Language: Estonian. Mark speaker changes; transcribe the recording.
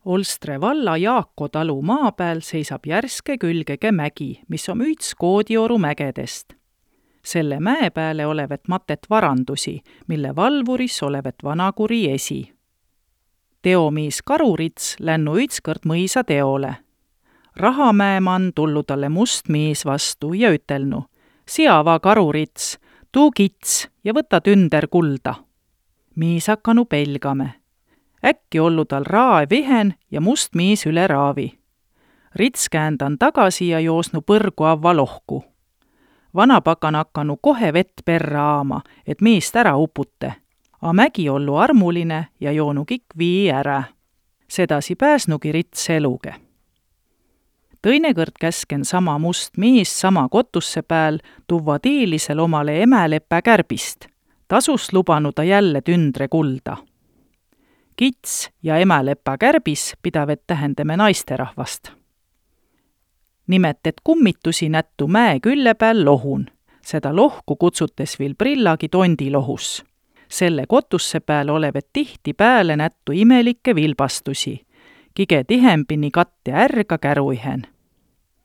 Speaker 1: Olstre valla Jaako talu maa peal seisab järske külgege mägi, mis on üts Koodioru mägedest. Selle mäe peale olevat matet varandusi, mille valvuris olevat vanakuri esi. Teomiis Karurits lännu ütskõrd mõisa teole. Rahamäemann tullu talle must miis vastu ja ütelnu: "Siava, Karurits, tuu kits ja võta tünder kulda." Miis hakkanu pelgame. Äkki ollu tal raevihen ja must miis üle raavi. Rits käändan tagasi ja joosnu põrgu avva lohku. Vanapakan hakkanu kohe vett perra aama, et miist ära upute. A mägi ollu armuline ja joonu kikk vii ära. Sedasi pääsnugi Rits eluge. Tõinekõrd käsken sama must miis sama kotusse pääl tuvva tiilisel omale emälepä kärbist. Tasus lubanu ta jälle tündre kulda. Kits ja emälepä kärbis pidavet tähendame naisterahvast. Nimet, et kummitusi nättu mäe külle pääl lohun. Seda lohku kutsutes viil Prillagi tondilohus. Selle kotusse pääl olevet tihti pääle nättu imelikke vilbastusi. Kige tihempini katte ärga käruihen.